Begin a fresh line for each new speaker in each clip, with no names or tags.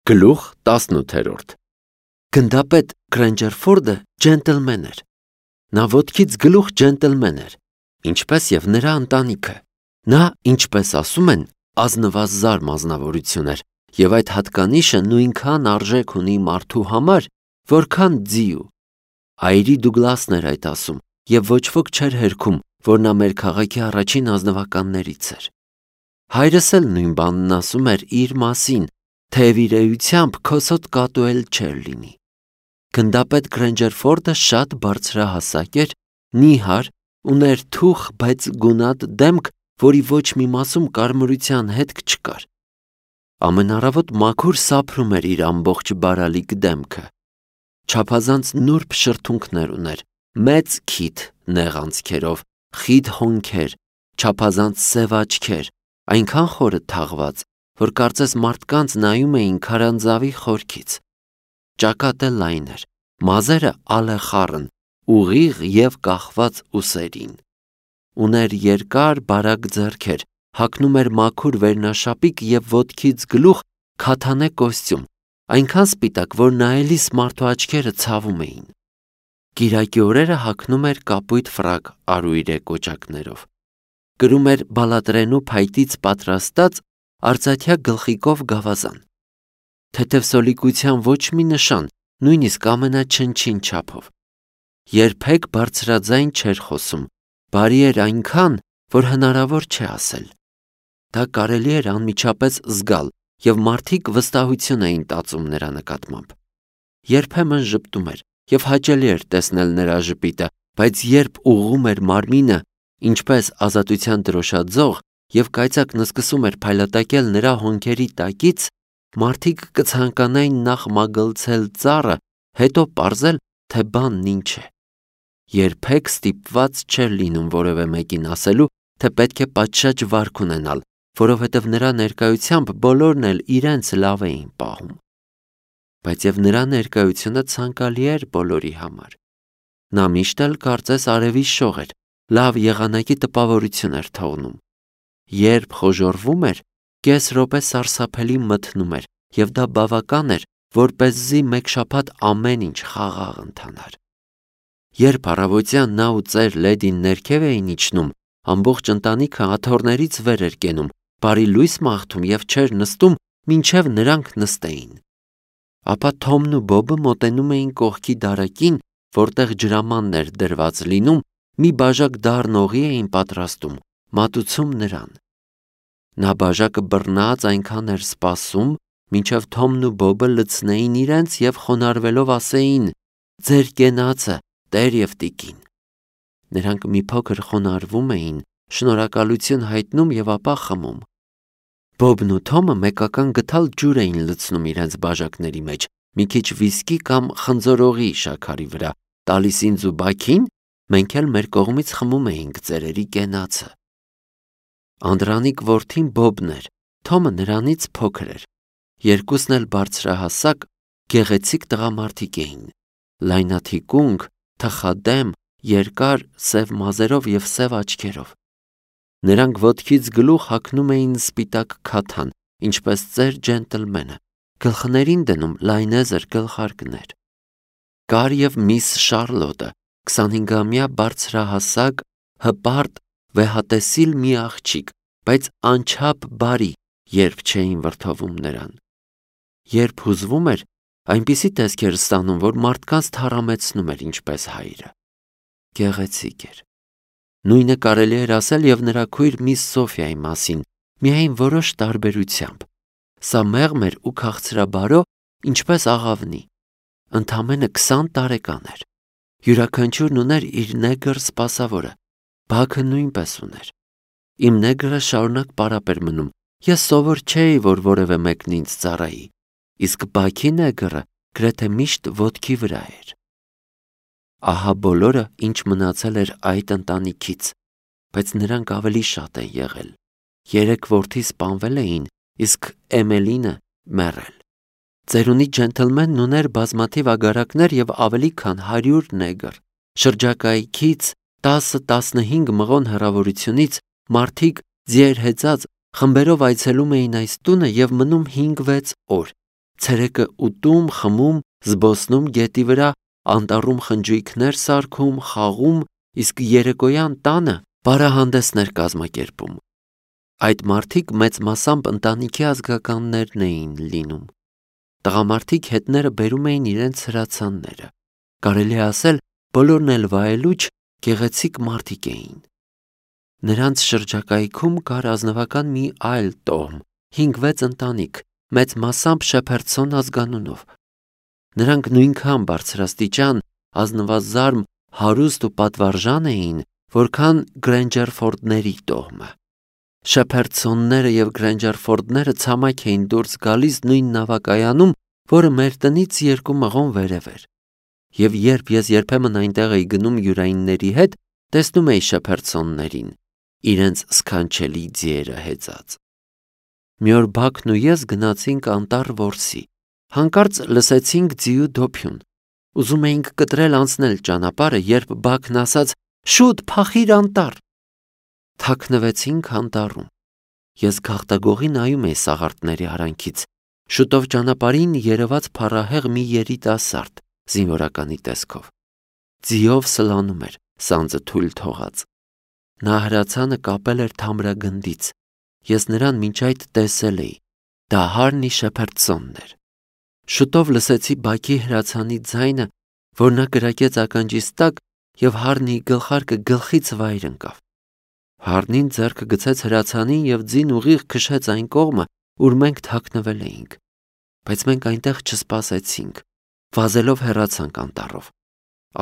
Գլուխ 18 Գնդապետ Քրենջերֆորդը ջենտլմեն էր։ Նա ոտքից գլուխ ջենտլմեն էր, ինչպես և նրա ընտանիքը։ Նա, ինչպես ասում են, ազնվազար մասնավորություն էր, և այդ հատկանիշը նույնքան արժեք ունի մարդու համար, որքան ձիու։ Այրի Դուգլասն էր այդ ասում, և ոչ ոք չէր հերքում, որ նա մեր քաղաքի առաջին ազնվականներից էր։ Հայրս էլ նույն բանն ասում էր իր մասին, թեև իր էությամբ քոսոտ կատու էլ չէր լինի։ Գնդապետ Քրենջերֆորդը շատ բարձրահասակ էր, նիհար, ուներ թուխ, բայց գունատ դեմք, որի ոչ մի մասում կարմրության հետք չկար։ Ամեն առավոտ մաքուր սափրում էր իր ամբողջ բարալիկ դեմքը։ Չափազանց նուրբ շրթունքներ ուներ, մեծ քիթ նեղ անցքերով, խիտ հոնքեր, չափազանց սև աչքեր, այնքան խորը թաղված, որ կարծես մարդկանց նայում էին քարանձավի խորքից։ Ճակատը լայն էր, մազերը ալեխառն, ուղիղ և կախված ուսերին։ Ուներ երկար բարակ ձեռքեր, հագնում էր մաքուր վերնաշապիկ և ոտքից գլուխ քաթանե կոստյում, այնքան սպիտակ, որ նայելիս մարդու աչքերը ցավում էին։ Կիրակի օրերը հագնում էր կապույտ ֆրակ արուիրե կոճակներով։ Կրում էր բալատրենու փայտից պատրաստած արծաթյա գլխիկով գավազան։ Թեթևսոլիկության ոչ մի նշան, նույնիսկ ամենաչնչին չափով։ Երբեք բարձրաձայն չէր խոսում, բարի էր այնքան, որ հնարավոր չէ ասել։ Դա կարելի էր անմիջապես զգալ, և մարդիկ վստահություն էին տածում նրա նկատմամբ։ Երբեմն ժպտում էր, և հաճելի էր տեսնել նրա ժպիտը, բայց երբ ուղղում էր մարմինը, ինչպես ազատության դրոշաձող, և կայծակն սկսում էր փայլատակել նրա հոնքերի տակից, մարդիկ կցանկանային նախ մագլցել ծառը, հետո պարզել, թե բանն ինչ է։ Երբեք ստիպված չէր լինում որևէ մեկին ասելու, թե պետք է պատշաճ վարք ունենալ, որովհետև նրա ներկայությամբ բոլորն էլ իրենց լավ էին պահում։ Բայց և նրա ներկայությունը ցանկալի էր բոլորի համար։ Նա միշտ էլ կարծես արևի շող էր, լավ եղանակի տպավորություն էր թողնում։ Երբ խոժոռվում էր, կես րոպե սարսափելի մթնում էր, և դա բավական էր, որպեսզի մեկ շաբաթ ամեն ինչ խաղաղ ընթանար։ Երբ առավոտյան նա ու ծեր Լեդին ներքև էին իջնում, ամբողջ ընտանիքը աթոռներից վեր էր կենում, բարի լույս մաղթում և չէր նստում, մինչև նրանք նստեին։ Ապա Թոմն ու Բոբը մոտենում էին կողքի դարակին, որտեղ ջրամանն էր դրված լինում, մի բաժակ դառն օղի էին պատրաստում, մատուցում նրան։ Նա բաժակը բռնած այնքան էր սպասում, մինչև Թոմն ու Բոբը լցնեին իրենց և խոնարհվելով ասեին. «Ձեր կենացը, տեր և տիկին»։ Նրանք մի փոքր խոնարհվում էին, շնորհակալություն հայտնում և ապա խմում։ Բոբն ու Թոմը մեկական գդալ ջուր էին լցնում իրենց բաժակների մեջ, մի քիչ վիսկի կամ խնձորօղի շաքարի վրա, տալիս ինձ ու Բաքին, մենք էլ մեր կողմից խմում էինք ծերերի կենացը։ Անդրանիկ որդին Բոբն էր, Թոմը նրանից փոքր էր։ Երկուսն էլ բարձրահասակ, գեղեցիկ տղամարդիկ էին, լայնաթիկունք, թխադեմ, երկար, սև մազերով և սև աչքերով։ Նրանք ոտքից գլուխ հագնում էին սպիտակ քաթան, ինչպես ծեր ջենտլմենը, գլխներին դնում լայնեզր գլխարկներ։ Կար և միս Շարլոտը, 25-ամյա բարձրահասակ, հպարտ, վեհատեսիլ մի աղջիկ, բայց անչափ բարի, երբ չէին վրդովում նրան։ Երբ հուզվում էր, այնպիսի տեսք էր ստանում, որ մարդկանց թառամեցնում էր, ինչպես հայրը։ Գեղեցիկ էր։ Նույնը կարելի էր ասել և նրա քույր միս Սոֆիայի մասին, միայն որոշ տարբերությամբ։ Սա մեղմ էր ու քաղցրաբարո, ինչպես աղավնի։ Ընդամենը 20 տարեկան էր։ Յուրաքանչյուրն ուներ իր նեգր սպասավորը, Բաքը նույնպես ուներ։ Իմ նեգրը շարունակ պարապ էր մնում, ես սովոր չէի, որ որևէ մեկն ինձ ծառայի, իսկ Բաքի նեգրը գրեթե միշտ ոտքի վրա էր։ Ահա բոլորը, ինչ մնացել էր այդ ընտանիքից, բայց նրանք ավելի շատ են եղել։ 3 որդի սպանվել էին, իսկ Էմելինը մեռել։ Ծերունի ջենտլմենն ուներ բազմաթիվ ագարակներ և ավելի քան 100 նեգր։ Շրջակայքից 10-15 մղոն հեռավորությունից մարդիկ ձիեր հեծած խմբերով այցելում էին այս տունը և մնում 5-6 օր, ցերեկը ուտում, խմում, զբոսնում գետի վրա, անտառում խնջույքներ սարքում, խաղում, իսկ երեկոյան տանը բարահանդեսներ կազմակերպում։ Այդ մարդիկ մեծ մասամբ ընտանիքի ազգականներն էին լինում։ Տղամարդիկ հետները բերում էին իրենց հրացանները։ Կարելի է ասել, բոլորն էլ վայելուչ, գեղեցիկ մարդիկ էին։ Նրանց շրջակայքում կար ազնվական մի այլ տոհմ, 5-6 ընտանիք, մեծ մասամբ Շեփերդսոն ազգանունով։ Նրանք նույնքան բարձրաստիճան, ազնվազարմ, հարուստ ու պատվարժան էին, որքան Գրենջերֆորդների տոհմը։ Շեփերդսոնները եւ Գրենջերֆորդները ցամաք էին դուրս գալիս նույն նավակայանում, որը մեր տնից 2 մղոն վերև էր։ Եվ երբ ես երբեմն այնտեղ էի գնում յուրայինների հետ, տեսնում էի Շեփերդսոններին, իրենց սքանչելի ձիերը հեծած։ Մի օր Բաքն ու ես գնացինք անտառ որսի։ Հանկարծ լսեցինք ձիու դոփյուն։ Ուզում էինք կտրել անցնել ճանապարհը, երբ Բաքն ասաց. «Շուտ, փախիր անտառ»։ Թաքնվեցինք անտառում։ Ես գաղտագողի նայում էի սաղարթների արանքից։ Շուտով ճանապարհին երևաց փառահեղ մի երիտասարդ, զինվորականի տեսքով։ Ձիով սլանում էր, սանձը թույլ թողած։ Նա հրացանը կապել էր թամրագնդից։ Ես նրան մինչ այդ տեսել էի։ Դա Հարնի Շեփերդսոնն էր։ Շուտով լսեցի Բաքի հրացանի ձայնը, որ նա կրակեց ականջիս տակ, եւ Հարնիի գլխարկը գլխից վայր ընկավ։ Հարնին ձեռքը գցեց հրացանին եւ ձին ուղիղ քշեց այն կողմը, ուր մենք թաքնվել էինք։ Բայց մենք այնտեղ չսպասեցինք, վազելով հեռացանք անտառով։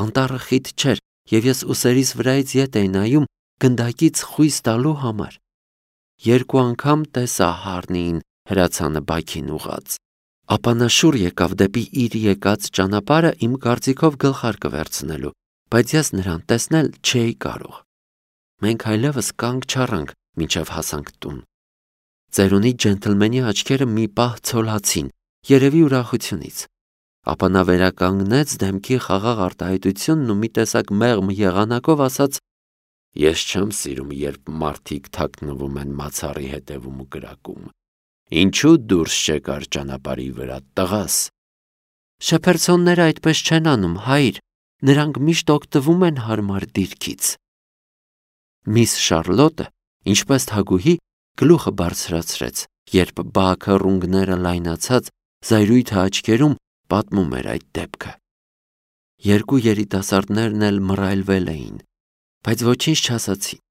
Անտառը խիտ չէր, եւ ես ուսերիս վրայից ետ էի նայում գնդակից խույս տալու համար։ 2 անգամ տեսա Հարնիին հրացանը Բաքին ուղած։ Ապա նա շուռ եկավ դեպի իր եկած ճանապարհը իմ կարծիքով գլխարկը վերցնելու, բայց ես նրան տեսնել չէի կարող։ Մենք այլևս կանգ չառանք, մինչև հասանք տուն։ Ծերունի ջենթլմենի աչքերը մի պահ ցոլացին, երևի ուրախությունից։ Ապա նա վերականգնեց դեմքի խաղաղ արտահայտությունն ու մի տեսակ մեղմ եղանակով ասաց. «Ես չեմ սիրում, երբ մարդիկ թաքնվում են մացառի հետևում ու կրակում։ Ինչու դուրս չեկար ճանապարհի վրա, տղաս»։ Շեփերդսոնները այդպես չեն անում, հայր, նրանք միշտ օգտվում են հարմար դիրքից։ Միս Շարլոտը, ինչպես թագուհի, գլուխը բարձրացրեց, երբ Բաքը ռունգները լայնացած զայրույթը աչքերում պատմում էր այդ դեպքը։ 2 երիտասարդներն էլ մռայլվել էին, բայց ոչինչ չասացին։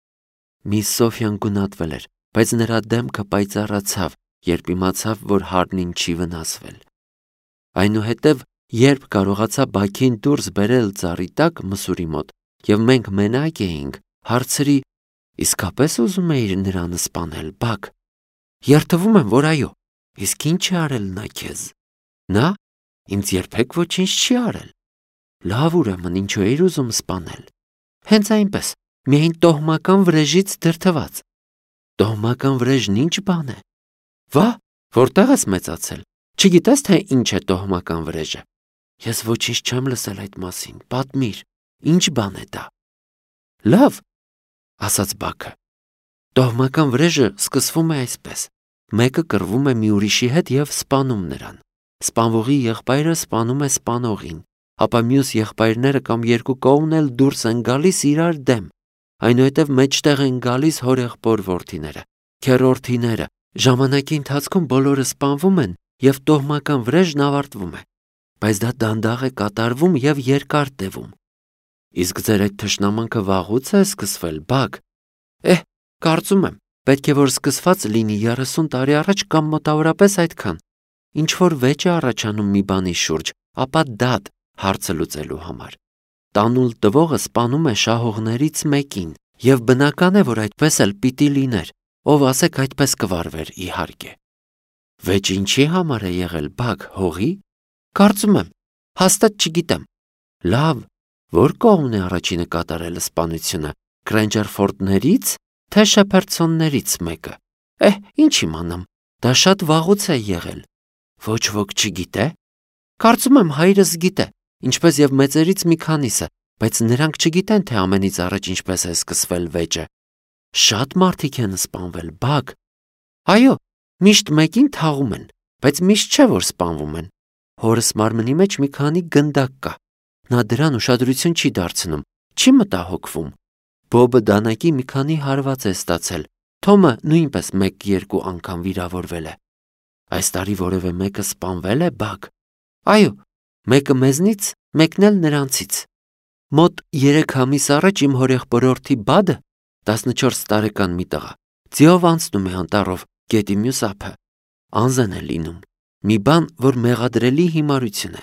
Միս Սոֆյան գունատվել էր, բայց նրա դեմքը պայծառացավ, երբ իմացավ, որ Հարնին չի վնասվել։ Այնուհետև, երբ կարողացա Բաքին դուրս բերել ծառի տակ մսուրի մոտ, եւ մենք մենակ էինք, հարցրի. «Իսկապես ուզում էիր նրան սպանել, Բաք»։ Երդվում եմ, որ այո։ Իսկ ինչ է արել նա քեզ։ Նա ինձ երբեք ոչինչ չի արել։ Լավ, ուրեմն ինչու էիր ուզում սպանել։ Հենց այնպես, միայն տոհմական վրեժից դրդված։ Տոհմական վրեժն ինչ բան է։ Վա, որտեղ ես մեծացել։ Չգիտես, թե ինչ է տոհմական վրեժը։ Ես ոչինչ չեմ լսել այդ մասին, պատմիր, ինչ բան է դա։ Լավ, ասաց Բաքը։ Տոհմական վրեժը սկսվում է այսպես. մեկը կռվում է մի ուրիշի հետ եւ սպանում նրան։ Սպանվողի եղբայրը սպանում է սպանողին, ապա մյուս եղբայրները կամ 2 կողմն էլ դուրս են գալիս իրար դեմ։ Այնուհետև մեջտեղ են գալիս հորեղբոր որդիները, քեռորդիները։ Ժամանակի ընթացքում բոլորը սպանվում են եւ տոհմական վրեժն ավարտվում է։ Բայց դա դանդաղ է կատարվում եւ երկար տևում։ Իսկ ձեր այդ թշնամանքը վաղուց է սկսվել, Բաք։ Կարծում եմ, պետք է որ սկսված լինի 30 տարի առաջ կամ մոտավորապես այդքան։ Ինչ որ վեճ է առաջանում մի բանի շուրջ, ապա դատ հարցը լուծելու համար։ Տանուլ տվողը սպանում է շահողներից մեկին, եւ բնական է, որ այդպես էլ պիտի լիներ, ով ասեք այդպես կվարվեր, իհարկե։ Վեճ ինչի համար է եղել, Բաք, հողի։ Կարծում եմ, հաստատ չգիտեմ։ Լավ, որ կողմն է առաջինը կատարել սպանությունը, Գրենջերֆորդներից, թե Շեփերդսոններից մեկը։ Ինչ իմանամ, դա շատ վաղուց է եղել։ Ոչ ոք չգիտե։ Կարծում եմ հայրս գիտե, ինչպես եւ մեծերից մի քանիսը, բայց նրանք չգիտեն, թե ամենից առաջ ինչպես է սկսվել վեճը։ Շատ մարդիկ են սպանվել, Բաք։ Այո, միշտ մեկին թաղում են, բայց միշտ չէ, որ սպանվում են։ Հորս մարմնի մեջ մի քանի գնդակ կա։ Նա դրան ուշադրություն չի դարձնում, չի մտահոգվում։ Բոբը դանակի մի քանի հարված է ստացել։ Թոմը նույնպես 1-2 անգամ վիրավորվել է։ Այս տարի որևէ մեկը սպանվել է, Բագ։ Այո, մեկը մեզնից, մեկն էլ նրանցից։ Մոտ 3 ամիս առաջ իմ հորեղբորորդի Բադը, 14 տարեկան մի տղա, ձիով անցնում է անտառով գետի մյուս ափը։ Անզեն է լինում։ Մի բան, որ մեղադրելի հիմարություն է։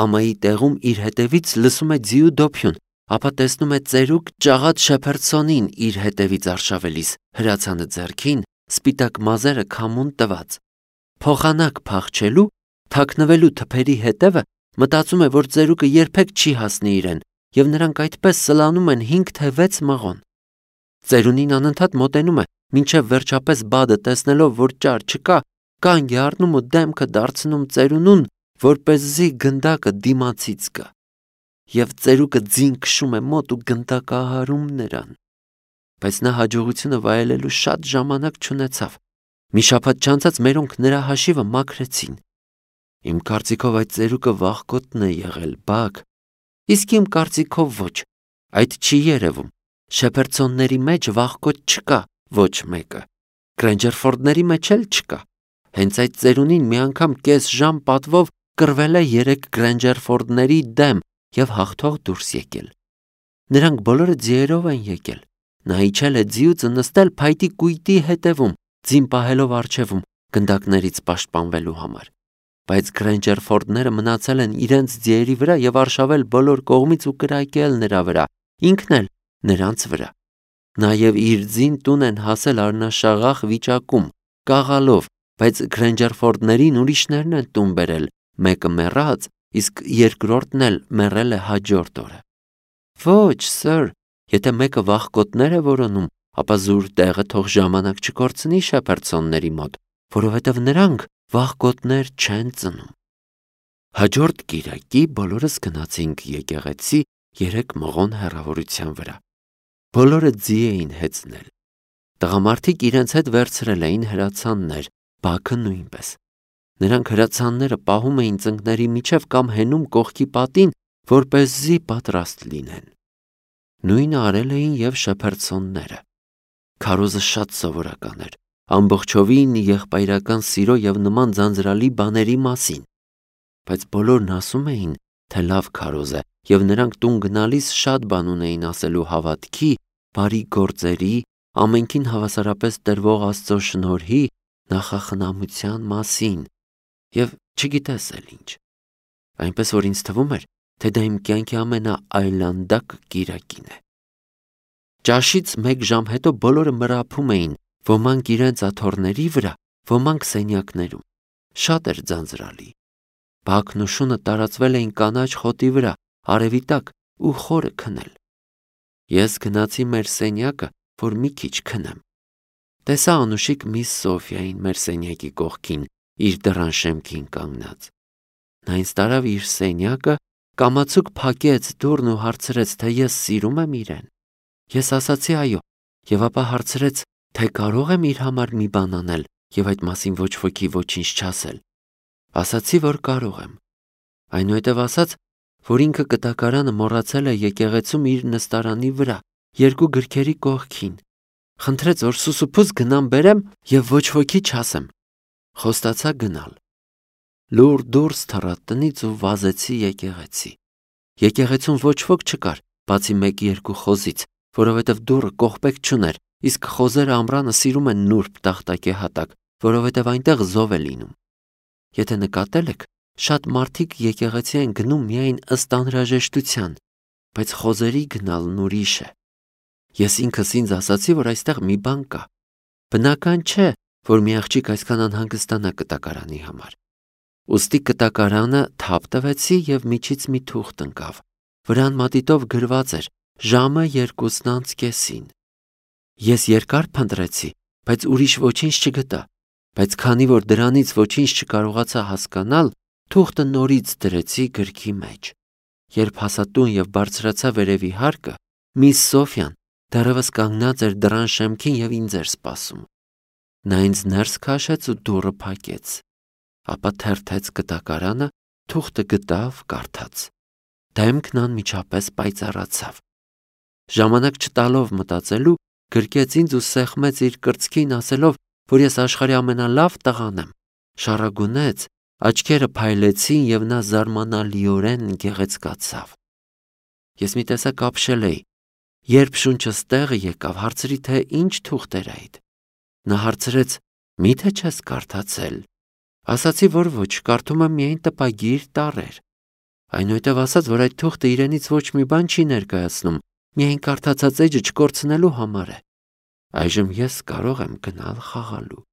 Ամայի տեղում իր հետևից լսում է ձիու դոփյուն, ապա տեսնում է ծերուկ ճաղատ Շեփերդսոնին իր հետևից արշավելիս, հրացանը ձեռքին, սպիտակ մազերը քամուն տված։ Փոխանակ փախչելու, թաքնվելու թփերի հետևը մտածում է, որ ծերուկը երբեք չի հասնի իրեն, եւ նրանք այդպես սլանում են 5 թե 6 մղոն։ Ծերունին անընդհատ մոտենում է, մինչև վերջապես Բադը տեսնելով, որ ճար չկա, կանգ է առնում ու դեմքը դարձնում ծերունուն, որպեսզի գնդակը դիմացից գա։ Եվ ծերուկը ձին քշում է մոտ ու գնդակահարում նրան։ Բայց նա հաջողությունը վայելելու շատ ժամանակ չունեցավ։ Մի շաբաթ չանցած մերոնք նրա հաշիվը մաքրեցին։ Իմ կարծիքով այդ ծերուկը վախկոտն է եղել, Բագ։ Իսկ իմ կարծիքով ոչ, այդ չի երևում։ Շեփերդսոնների մեջ վախկոտ չկա ոչ մեկը։ Գրենջերֆորդների մեջ էլ չկա։ Հենց այդ ծերունին մի անգամ կես ժամ պատվով կռվել է 3 Գրենջերֆորդների դեմ եւ հաղթող դուրս եկել։ Նրանք բոլորը ձիերով են եկել։ Նա իջել է ձիուց նստել փայտի կույտի հետևում, ձին պահելով առջևում, գնդակներից պաշտպանվելու համար։ Բայց Գրենջերֆորդները մնացել են իրենց ձիերի վրա եւ արշավել բոլոր կողմից ու կրակել նրա վրա, ինքն էլ նրանց վրա։ Նաեւ իր ձին տուն են հասել առնաշաղախ վիճակում, կաղալով, բայց Գրենջերֆորդներին ուրիշներն են տուն բերել, մեկը մեռած, իսկ երկրորդն էլ մեռել է հաջորդ օրը։ Ոչ, սըր, եթե մեկը վախկոտներ է որոնում, ապա զուր տեղը թող ժամանակ չկորցնի Շեփերդսոնների մոտ, որովհետև նրանք վախկոտներ չեն ծնում։ Հաջորդ կիրակի բոլորս գնացինք եկեղեցի 3 մղոն հեռավորության վրա։ Բոլորը ձի էին հեծնել։ Տղամարդիկ իրենց հետ վերցրել էին հրացաններ, Բաքը նույնպես։ Նրանք հրացանները պահում էին ծնկների միջև կամ հենում կողքի պատին, որպեսզի պատրաստ լինեն։ Նույնը արել էին եւ Շեփերդսոնները։ Քարոզը շատ սովորական էր, ամբողջովին եղբայրական սիրո եւ նման ձանձրալի բաների մասին։ Բայց բոլորն ասում էին, թե լավ քարոզ է, եւ նրանք տուն գնալիս շատ բան ունեին ասելու հավատքի, բարի գործերի, ամենքին հավասարապես տրվող Աստծո շնորհի, նախախնամության մասին եւ չգիտես էլ ինչ։ Այնպես որ ինձ թվում էր, թե դա իմ կյանքի ամենաայլանդակ կիրակին է։ Ճաշից 1 ժամ հետո բոլորը մռափում էին, ոմանք իրենց աթոռների վրա, ոմանք սենյակներում։ Շատ էր ձանձրալի։ Բաքն ու շունը տարածվել էին կանաչ խոտի վրա, արևի տակ ու խորը քնել։ Ես գնացի մեր սենյակը, որ մի քիչ քնեմ։ Տեսա անուշիկ միս Սոֆիային մեր սենյակի կողքին, իր դռան շեմքին կանգնած։ Նա ինձ տարավ իր սենյակը, կամացուկ փակեց դուռն ու հարցրեց, թե ես սիրում եմ իրեն։ Ես ասացի այո, եւ ապա հարցրեց, թե կարող եմ իր համար մի բան անել եւ այդ մասին ոչ ոքի ոչինչ չասել։ Ասացի, որ կարող եմ։ Այնուհետև ասաց, որ ինքը կտակարանը մոռացել է եկեղեցում իր նստարանի վրա, 2 գրքերի կողքին։ Խնդրեց, որ սուսուփուս գնամ բերեմ եւ ոչ ոքի չասեմ։ Խոստացա գնալ։ Լուր դուրս թռա տնից ու վազեցի եկեղեցի։ Եկեղեցում ոչ ոք չկար, բացի 1-2 խոզից, որովհետև դուռը կողպեք չուներ, իսկ խոզերը ամռանը սիրում են նուրբ տախտակե հատակ, որովհետև այնտեղ զով է լինում։ Եթե նկատել եք, շատ մարդիկ եկեղեցի են գնում միայն ըստ անհրաժեշտության, բայց խոզերի գնալն ուրիշ է։ Ես ինքս ինձ ասացի, որ այստեղ մի բան կա։ Բնական չէ, որ մի աղջիկ այսքան անհանգստանա կտակարանի համար։ Ուստի կտակարանը թափ տվեցի եւ միջից մի թուղթ ընկավ։ Վրան մատիտով գրված էր ժամը 2:30-ին։ Ես երկար փնտրեցի, բայց ուրիշ ոչինչ չգտա, բայց քանի որ դրանից ոչինչ չկարողացա հասկանալ, թուղթը նորից դրեցի գրքի մեջ։ Երբ հասա տուն եւ բարձրացա վերևի հարկը, միս Սոֆիան դեռևս կանգնած էր դռան շեմքին եւ ինձ էր սպասում։ Նա ինձ ներս քաշեց ու դուռը փակեց։ ապա թերթեց գտակարանը, թուղթը գտավ, կարդաց։ Դեմքն անմիջապես պայծառացավ։ Ժամանակ չտալով մտածելու, գրկեց ինձ ու սեղմեց իր կրծքին, ասելով, որ ես աշխարհի ամենալավ տղան եմ։ Շառագունեց, աչքերը փայլեցին եւ նա զարմանալիորեն գեղեցկացավ։ Ես մի տեսակ ապշել էի։ Երբ շունչս տեղը եկավ, հարցրի, թե ինչ թուղթ էր այդ։ Նա հարցրեց. «Միթե չես կարդացել»։ Ասացի, որ ոչ, կարդում եմ միայն տպագիր տառեր։ Այնուհետև ասաց, որ այդ թուղթը իրենից ոչ մի բան չի ներկայացնում, միայն կարդացած էջը չկորցնելու համար է։ Այժմ ես կարող եմ գնալ խաղալու։